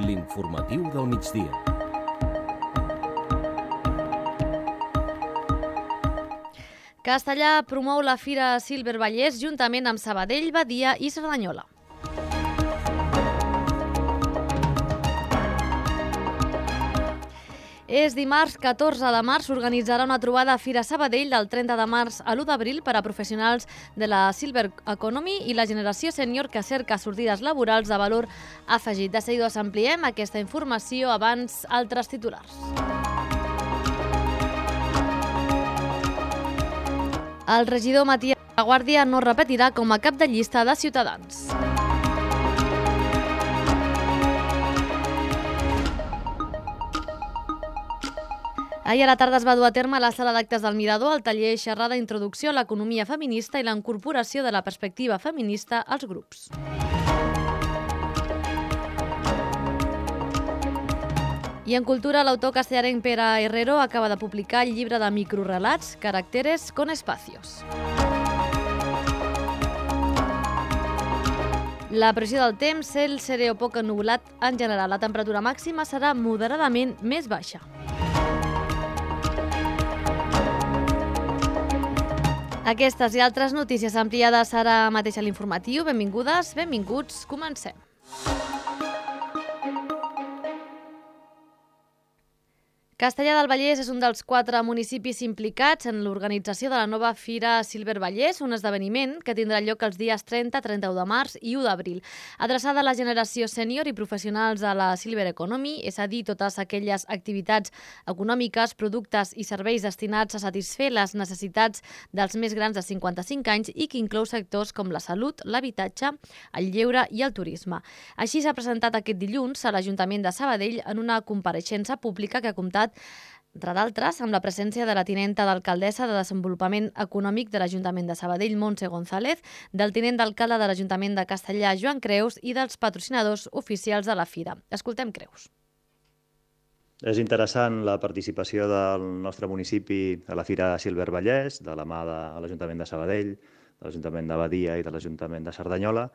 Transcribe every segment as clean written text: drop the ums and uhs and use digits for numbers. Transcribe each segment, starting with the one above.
L'informatiu del migdia. Castellà promou la Fira Silver Vallès juntament amb Sabadell, Badia i Cerdanyola. És dimarts 14 de març, s'organitzarà una trobada a Fira Sabadell del 30 de març a l'1 d'abril per a professionals de la Silver Economy i la generació sènior que cerca sortides laborals de valor afegit. De seguida us ampliem aquesta informació abans altres titulars. El regidor Matías de la Guàrdia no repetirà com a cap de llista de Ciutadans. Ahir a la tarda es va dur a terme a la sala d'actes del Mirador el taller xerrada Introducció a l'economia feminista i la incorporació de la perspectiva feminista als grups. I en cultura, l'autor castellarenc Pere Herrero acaba de publicar el llibre de microrelats Caracteres con espacios. La previsió del temps, cel serè o poc ennuvolat en general. La temperatura màxima serà moderadament més baixa. Aquestes i altres notícies ampliades ara mateix a l'informatiu. Benvingudes, benvinguts, comencem. Castellar del Vallès és un dels 4 municipis implicats en l'organització de la nova Fira Silver Vallès, un esdeveniment que tindrà lloc els dies 30, 31 de març i 1 d'abril. Adreçada a la generació sènior i professionals de la Silver Economy, és a dir, totes aquelles activitats econòmiques, productes i serveis destinats a satisfer les necessitats dels més grans de 55 anys i que inclou sectors com la salut, l'habitatge, el lleure i el turisme. Així s'ha presentat aquest dilluns a l'Ajuntament de Sabadell en una compareixença pública que ha comptat entre d'altres, amb la presència de la tinenta d'alcaldessa de Desenvolupament Econòmic de l'Ajuntament de Sabadell, Montse González, del tinent d'alcalde de l'Ajuntament de Castellar, Joan Creus, i dels patrocinadors oficials de la Fira. Escoltem Creus. És interessant la participació del nostre municipi a la Fira Silver Vallès, de la mà de l'Ajuntament de Sabadell, de l'Ajuntament de Badia i de l'Ajuntament de Cerdanyola,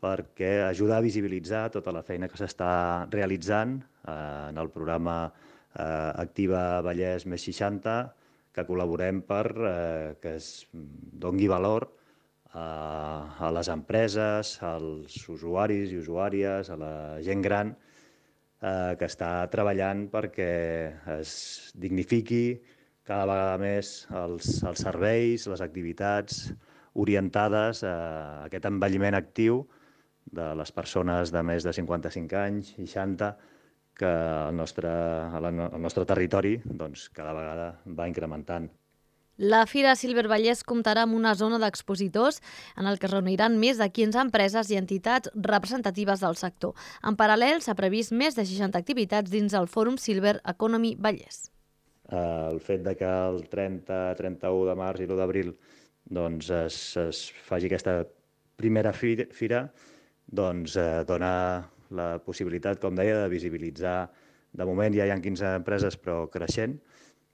perquè ajuda a visibilitzar tota la feina que s'està realitzant en el programa Activa Vallès més 60, que col·laborem per que es doni valor a les empreses, als usuaris i usuàries, a la gent gran que està treballant perquè es dignifiqui cada vegada més els serveis, les activitats orientades a aquest envelliment actiu de les persones de més de 55 anys, 60, que el nostre territori cada vegada va incrementant. La Fira Silver Vallès comptarà amb una zona d'expositors en el que es reuniran més de 15 empreses i entitats representatives del sector. En paral·lel, s'ha previst més de 60 activitats dins el Fòrum Silver Economy Vallès. El fet que el 30, 31 de març i l'1 d'abril es faci aquesta primera fira dona la possibilitat, com deia, de visibilitzar. De moment ja hi ha 15 empreses, però creixent,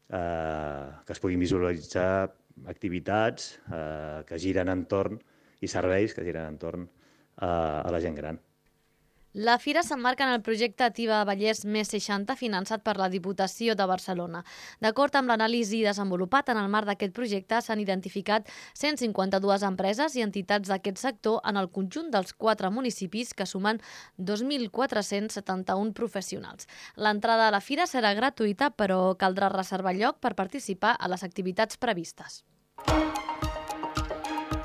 que es puguin visualitzar activitats que giren entorn i serveis que giren entorn a la gent gran. La Fira s'emmarca en el projecte Activa Vallès més 60, finançat per la Diputació de Barcelona. D'acord amb l'anàlisi desenvolupat en el marc d'aquest projecte, s'han identificat 152 empreses i entitats d'aquest sector en el conjunt dels 4 municipis que sumen 2.471 professionals. L'entrada a la Fira serà gratuïta, però caldrà reservar lloc per participar a les activitats previstes.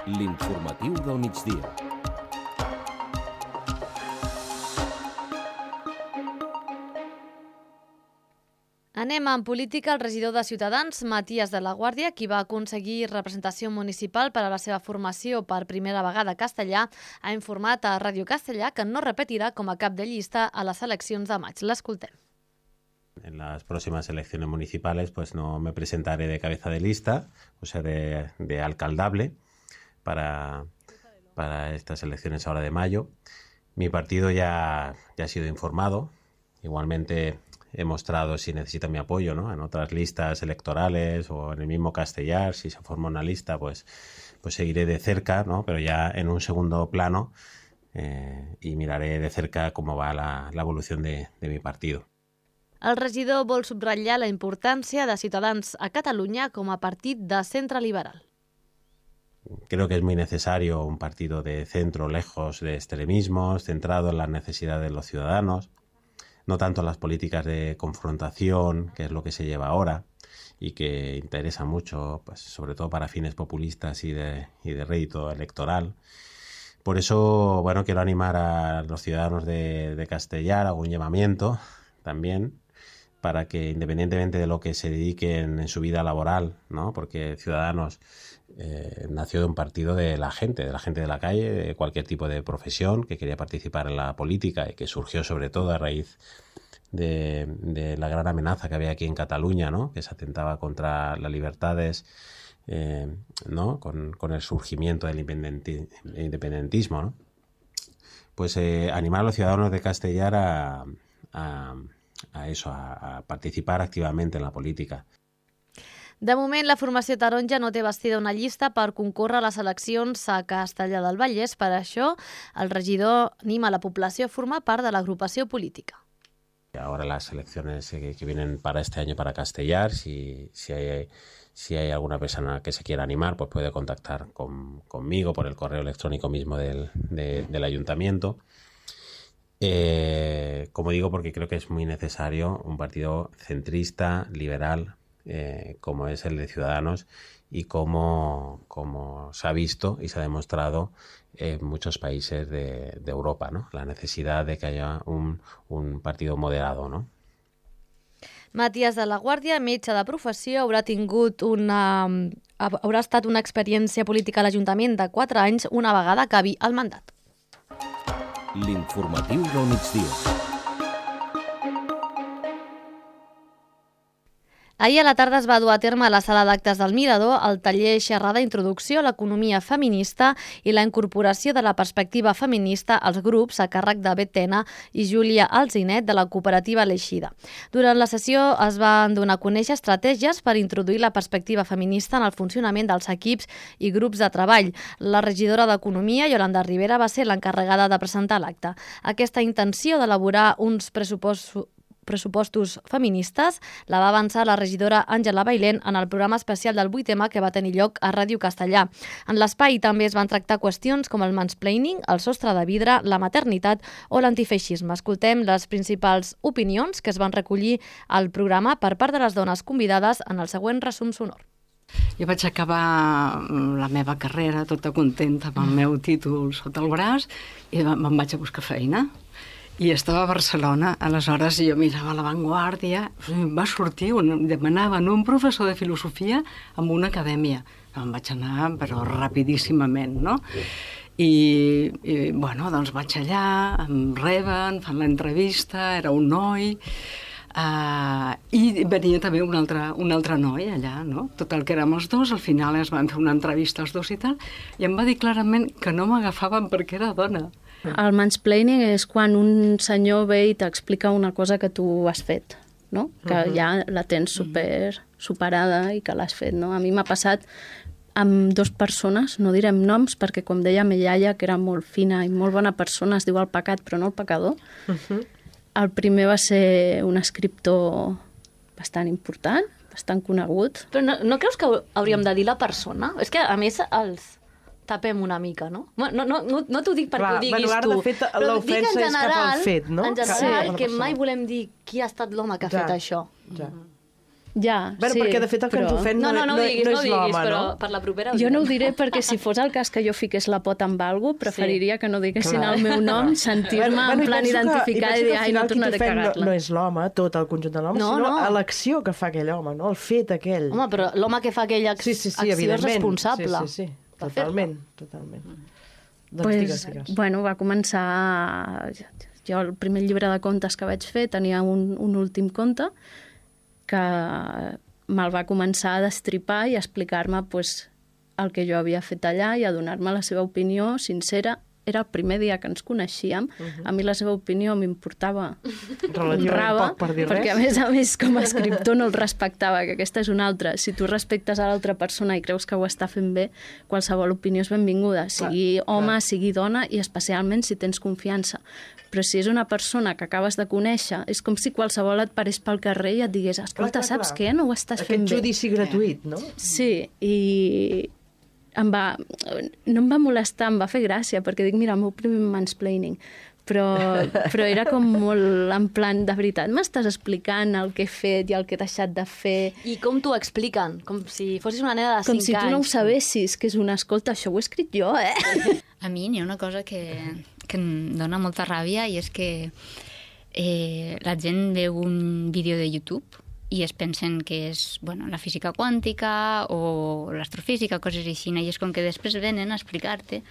L'informatiu del migdia. Anem en política. El regidor de Ciutadans, Matías de la Guàrdia, qui va aconseguir representació municipal per a la seva formació per primera vegada a Castellar, ha informat a Ràdio Castellar que no repetirà com a cap de llista a les eleccions de maig. L'escoltem. En las próximas elecciones municipales pues no me presentaré de cabeza de lista, o sea, de alcaldable para estas elecciones ahora de mayo. Mi partido ya ha sido informado. Igualmente he mostrado si necesita mi apoyo, ¿no? En otras listas electorales o en el mismo Castellar, si se forma una lista, pues seguiré de cerca, ¿no? Pero ya en un segundo plano, y miraré de cerca cómo va la evolución de mi partido. El regidor vol subratllar la importància de Ciutadans a Catalunya com a partit de centre liberal. Creo que es muy necesario un partido de centro, lejos de extremismos, centrado en las necesidades de los ciudadanos, no tanto en las políticas de confrontación, que es lo que se lleva ahora y que interesa mucho, pues, sobre todo para fines populistas y de rédito electoral. Por eso, bueno, quiero animar a los ciudadanos de Castellar, hago un llamamiento también, para que independientemente de lo que se dediquen en su vida laboral, ¿no? Porque Ciudadanos nació de un partido de la gente de la calle, de cualquier tipo de profesión que quería participar en la política y que surgió sobre todo a raíz de la gran amenaza que había aquí en Cataluña, ¿no? Que se atentaba contra las libertades, ¿no? Con el surgimiento del independentismo, ¿no? Pues animar a los ciudadanos de Castellar a participar activamente en la política. De moment, la formació taronja no té bastida una llista per concórrer a les eleccions a Castellar del Vallès. Per això, el regidor anima a la població a formar part de l'agrupació política. Ahora las elecciones que vienen para este año para Castellar, si hay alguna persona que se quiera animar, pues puede contactar conmigo por el correo electrónico mismo del ayuntamiento. Como digo, porque creo que es muy necesario un partido centrista, liberal, como es el de Ciudadanos y como se ha visto y se ha demostrado en muchos países de Europa, ¿no? La necesidad de que haya un partido moderado, ¿no? Matías de la Guàrdia, metge de professió, haurà estat una experiència política a l'Ajuntament de 4 anys una vegada acabi el mandat. L'informatiu del migdia. Ahir a la tarda es va dur a terme a la sala d'actes del Mirador el taller xerrada Introducció a l'economia feminista i la incorporació de la perspectiva feminista als grups a càrrec de Betena i Júlia Alzinet de la cooperativa L'Eixida. Durant la sessió es van donar a conèixer estratègies per introduir la perspectiva feminista en el funcionament dels equips i grups de treball. La regidora d'Economia, Yolanda Rivera, va ser l'encarregada de presentar l'acte. Aquesta intenció d'elaborar uns pressupostos feministes la va avançar la regidora Àngela Bailén en el programa especial del 8M que va tenir lloc a Ràdio Castellà. En l'espai també es van tractar qüestions com el mansplaining, el sostre de vidre, la maternitat o l'antifeixisme. Escoltem les principals opinions que es van recollir al programa per part de les dones convidades en el següent resum sonor. Jo vaig acabar la meva carrera tota contenta amb el meu títol sota el braç i me'n vaig a buscar feina. I estava a Barcelona, aleshores jo mirava La Vanguardia, va sortir, demanaven un professor de filosofia en una acadèmia. Em vaig anar, però rapidíssimament, no? I bueno, doncs vaig allà, em reben, fan l'entrevista, era un noi, i venia també un altre noi allà, no? Tot el que érem els dos, al final es van fer una entrevista els dos i tal, i em va dir clarament que no m'agafaven perquè era dona. El mansplaining és quan un senyor ve i t'explica una cosa que tu has fet, no? Que ja la tens superada i que l'has fet, no? A mi m'ha passat amb 2 persones, no direm noms, perquè com deia ma iaia, que era molt fina i molt bona persona, es diu el pecat però no el pecador. El primer va ser un escriptor bastant important, bastant conegut. Però no creus que hauríem de dir la persona? És que, a més, els tapem una mica, no? No t'ho dic perquè ho diguis tu. De fet, l'ofensa és cap al fet, no? En general, que mai volem dir qui ha estat l'home que ha fet això. Ja, bueno, sí, perquè de fet el que ens ofèn no és l'home, però no? per la propera... Jo no ho diré perquè si fos el cas que jo fiqués la pota amb algú, preferiria que no diguessin el meu nom, sentir-me en plan identificada i dir, ai, no tornaré a cagar-la. No és l'home, tot el conjunt de l'home, sinó l'acció que fa aquell home, no? El fet aquell. Home, però l'home que fa aquella acció és responsable. Sí, totalment. Doncs digues. Bueno, va començar... Jo el primer llibre de contes que vaig fer tenia un últim conte que me'l va començar a destripar i a explicar-me el que jo havia fet allà i a donar-me la seva opinió sincera era el primer dia que ens coneixíem, a mi la seva opinió m'importava un rave, perquè a més com a escriptor no el respectava, que aquesta és una altra. Si tu respectes a l'altra persona i creus que ho està fent bé, qualsevol opinió és benvinguda, sigui home, sigui dona, i especialment si tens confiança. Però si és una persona que acabes de conèixer, és com si qualsevol et parés pel carrer i et digués, escolta, saps què? No ho estàs fent bé. Aquest judici gratuït, no? Sí, i no em va molestar, em va fer gràcia, perquè dic, mira, el meu primer mansplaining, però era com molt en plan, de veritat, m'estàs explicant el que he fet i el que he deixat de fer. I com t'ho expliquen? Com si fossis una nena de 5 anys. Com si tu no ho sabessis, que és una, escolta, això ho he escrit jo, A mi n'hi ha una cosa que em dona molta ràbia, i és que la gent veu un vídeo de YouTube i es pensen que és la física quàntica o l'astrofísica, coses així, i és com que després venen a explicar-te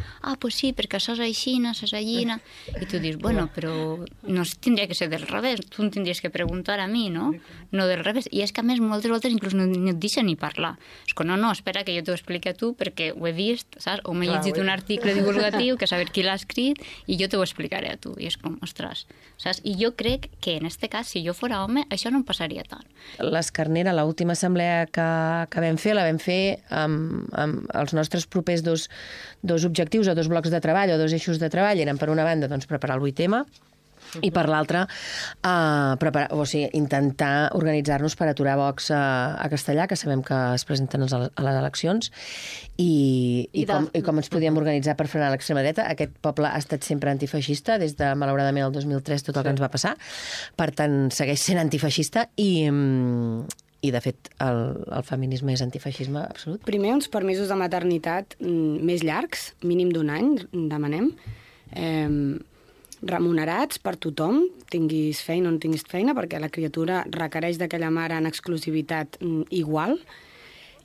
pues sí, perquè això és així, això és allina, i tu dius, però no tindria que ser del revés, tu em tindries que preguntar a mi, no del revés, i és que a més moltes voltes inclús no et deixen ni parlar, és que no, espera que jo t'ho expliqui a tu perquè ho he vist, saps? O m'he llegit un article divulgatiu que saber qui l'ha escrit i jo t'ho explicaré a tu, i és com, ostres, saps? I jo crec que en este cas, si jo fora home, això no em passaria tant. L'Escarnera, l'última assemblea que vam fer, la vam fer amb els nostres propers dos objectius o 2 blocs de treball o 2 eixos de treball. Eren, per una banda, preparar el 8M i per l'altra intentar organitzar-nos per aturar Vox a Castellà, que sabem que es presenten a les eleccions, i com ens podíem organitzar per frenar l'extrema dreta. Aquest poble ha estat sempre antifeixista, des de, malauradament, el 2003, tot el que ens va passar. Per tant, segueix sent antifeixista i de fet, el feminisme és antifeixisme absolut. Primer, uns permisos de maternitat més llargs, mínim d'1 any, demanem, remunerats per tothom, tinguis feina o no tinguis feina, perquè la criatura requereix d'aquella mare en exclusivitat igual.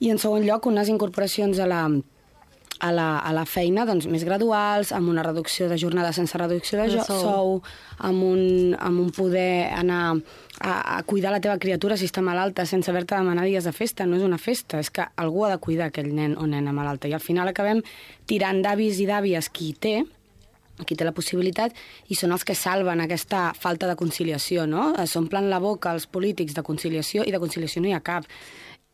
I, en segon lloc, unes incorporacions a la feina més graduals, amb una reducció de jornada sense reducció de sou, amb un poder anar a cuidar la teva criatura si està malalta sense haver-te de demanar dies de festa. No és una festa, és que algú ha de cuidar aquell nen o nena malalta. I al final acabem tirant d'avis i d'àvies qui té la possibilitat, i són els que salven aquesta falta de conciliació, no? S'omplen la boca els polítics de conciliació, i de conciliació no hi ha cap.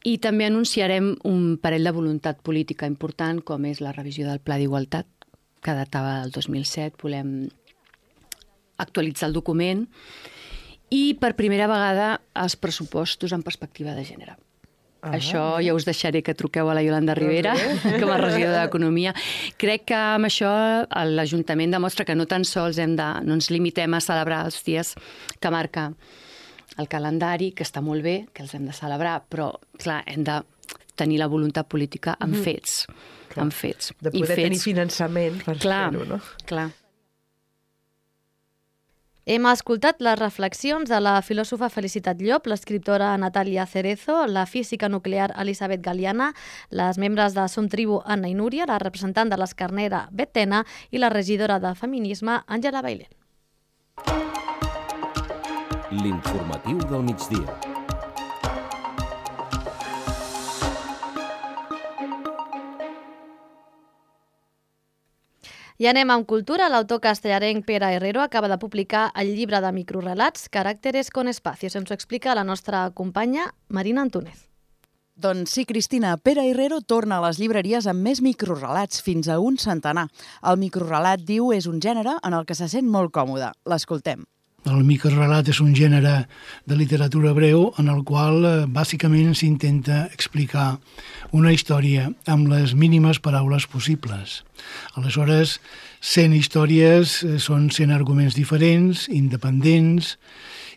I també anunciarem un parell de voluntat política important, com és la revisió del Pla d'Igualtat, que datava del 2007. Volem actualitzar el document i, per primera vegada, els pressupostos en perspectiva de gènere. Això ja us deixaré que truqueu a la Iolanda Rivera, com a regidora d'Economia. Crec que amb això l'Ajuntament demostra que no tan sols no ens limitem a celebrar els dies que marca el calendari, que està molt bé, que els hem de celebrar, però, clar, hem de tenir la voluntat política amb fets. Amb fets. De poder tenir finançament per fer-ho, no? Clar. Hem escoltat les reflexions de la filòsofa Felicitat Llop, l'escriptora Natàlia Cerezo, la física nuclear Elisabet Galiana, les membres de Som Tribu Anna i Núria, la representant de l'Escarnera Betena i la regidora de Feminisme Àngela Bailén. L'informatiu del migdia. I anem amb cultura. L'autor castellarenc Pere Herrero acaba de publicar el llibre de microrelats Caràcteres con espacios. Ens ho explica la nostra companya Marina Antúnez. Doncs sí, Cristina, Pere Herrero torna a les llibreries amb més microrelats, fins a un centenar. El microrelat, diu, és un gènere en el que se sent molt còmode. L'escoltem. El microrelat és un gènere de literatura breu en el qual bàsicament s'intenta explicar una història amb les mínimes paraules possibles. Aleshores, 100 històries són 100 arguments diferents, independents,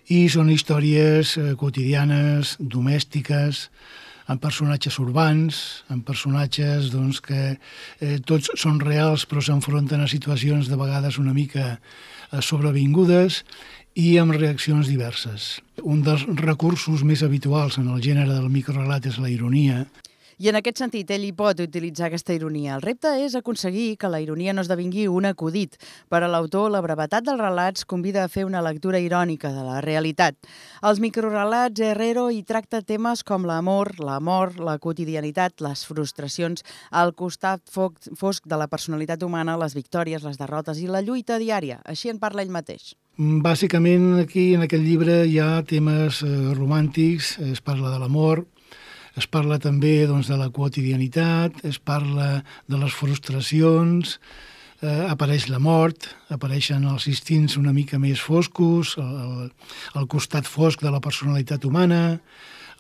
i són històries quotidianes, domèstiques, amb personatges urbans, amb personatges que tots són reals però s'enfronten a situacions de vegades una mica sobrevingudes i amb reaccions diverses. Un dels recursos més habituals en el gènere del microrelat és la ironia. I en aquest sentit, ell hi pot utilitzar aquesta ironia. El repte és aconseguir que la ironia no esdevingui un acudit. Per a l'autor, la brevetat dels relats convida a fer una lectura irònica de la realitat. Els microrelats Herrero hi tracta temes com l'amor, la mort, la quotidianitat, les frustracions, el costat fosc de la personalitat humana, les victòries, les derrotes i la lluita diària. Així en parla ell mateix. Bàsicament, aquí en aquest llibre hi ha temes romàntics, es parla de l'amor, es parla també de la quotidianitat, es parla de les frustracions, apareix la mort, apareixen els instints una mica més foscos, el costat fosc de la personalitat humana,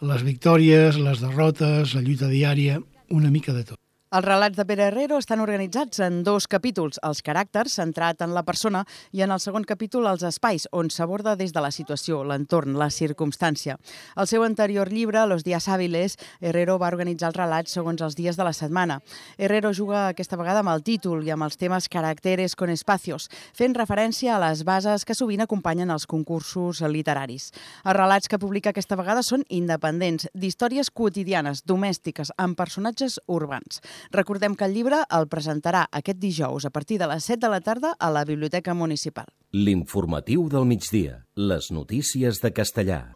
les victòries, les derrotes, la lluita diària, una mica de tot. Els relats de Pere Herrero estan organitzats en 2 capítols, els caràcters, centrat en la persona, i en el segon capítol els espais, on s'aborda des de la situació, l'entorn, la circumstància. Al seu anterior llibre, Los días hábiles, Herrero va organitzar els relats segons els dies de la setmana. Herrero juga aquesta vegada amb el títol i amb els temes caracteres con espacios, fent referència a les bases que sovint acompanyen els concursos literaris. Els relats que publica aquesta vegada són independents, d'històries quotidianes, domèstiques, amb personatges urbans. Recordem que el llibre el presentarà aquest dijous a partir de les 7 de la tarda a la Biblioteca Municipal. L'informatiu del migdia. Les notícies de Castellà.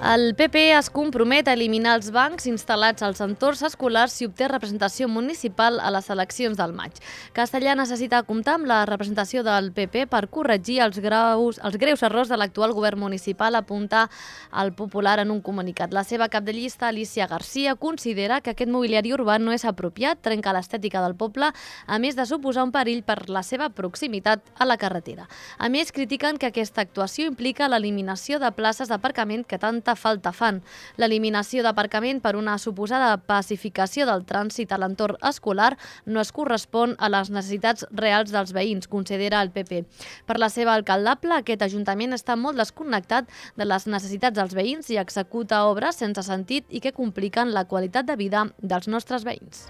El PP es compromet a eliminar els bancs instal·lats als entorns escolars si obté representació municipal a les eleccions del maig. Castellà necessita comptar amb la representació del PP per corregir els greus errors de l'actual govern municipal, apunta el Popular en un comunicat. La seva cap de llista, Alicia Garcia, considera que aquest mobiliari urbà no és apropiat, trenca l'estètica del poble, a més de suposar un perill per la seva proximitat a la carretera. A més, critiquen que aquesta actuació implica l'eliminació de places d'aparcament que tanta falta fan. L'eliminació d'aparcament per una suposada pacificació del trànsit a l'entorn escolar no es correspon a les necessitats reals dels veïns, considera el PP. Per la seva alcaldable, aquest ajuntament està molt desconnectat de les necessitats dels veïns i executa obres sense sentit i que compliquen la qualitat de vida dels nostres veïns.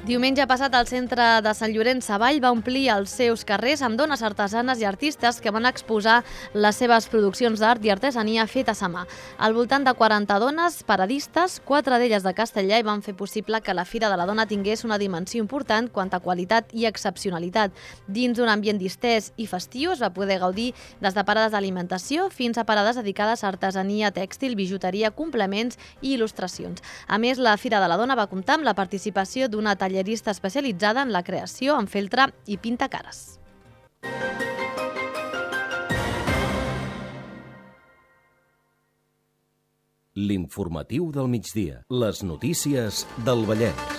Diumenge passat, el centre de Sant Llorenç Savall va omplir els seus carrers amb dones artesanes i artistes que van exposar les seves produccions d'art i artesania fetes a mà. Al voltant de 40 dones paradistes, 4 d'elles de Castellà, i van fer possible que la Fira de la Dona tingués una dimensió important quant a qualitat i excepcionalitat. Dins d'un ambient distès i festiu es va poder gaudir des de parades d'alimentació fins a parades dedicades a artesania tèxtil, bijuteria, complements i il·lustracions. A més, la Fira de la Dona va comptar amb la participació d'una tallerista especialitzada en la creació en feltre i pintacares. L'informatiu del migdia. Les notícies del Vallès.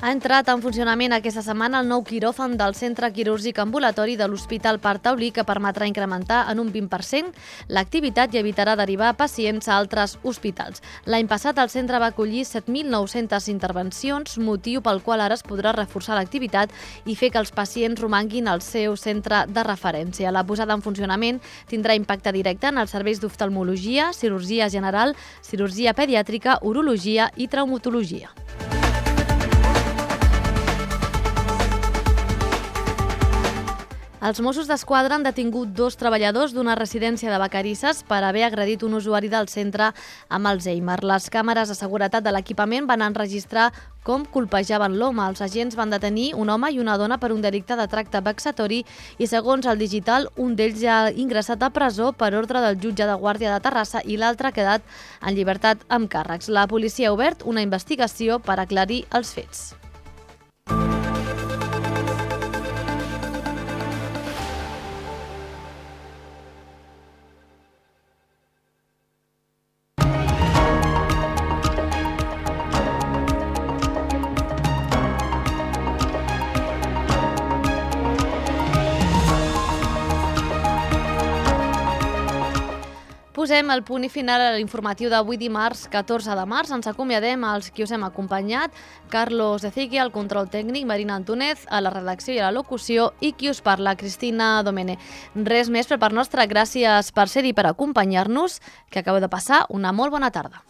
Ha entrat en funcionament aquesta setmana el nou quiròfan del Centre Quirúrgic Ambulatori de l'Hospital Parc Taulí, que permetrà incrementar en un 20% l'activitat i evitarà derivar pacients a altres hospitals. L'any passat el centre va acollir 7.900 intervencions, motiu pel qual ara es podrà reforçar l'activitat i fer que els pacients romanguin al seu centre de referència. La posada en funcionament tindrà impacte directe en els serveis d'oftalmologia, cirurgia general, cirurgia pediàtrica, urologia i traumatologia. Els Mossos d'Esquadra han detingut 2 treballadors d'una residència de Vacarisses per haver agredit un usuari del centre amb Alzheimer. Les càmeres de seguretat de l'equipament van enregistrar com colpejaven l'home. Els agents van detenir un home i una dona per un delicte de tracte vexatori i, segons el digital, un d'ells ja ha ingressat a presó per ordre del jutge de Guàrdia de Terrassa i l'altre ha quedat en llibertat amb càrrecs. La policia ha obert una investigació per aclarir els fets. posem el punt i final a l'informatiu d'avui dimarts 14 de març. Ens acomiadem als qui us hem acompanyat, Carlos Ezequi, al control tècnic, Marina Antúnez, a la redacció i a la locució, i qui us parla, Cristina Domene. Res més per part nostra, gràcies per ser-hi, per acompanyar-nos, que acabeu de passar una molt bona tarda.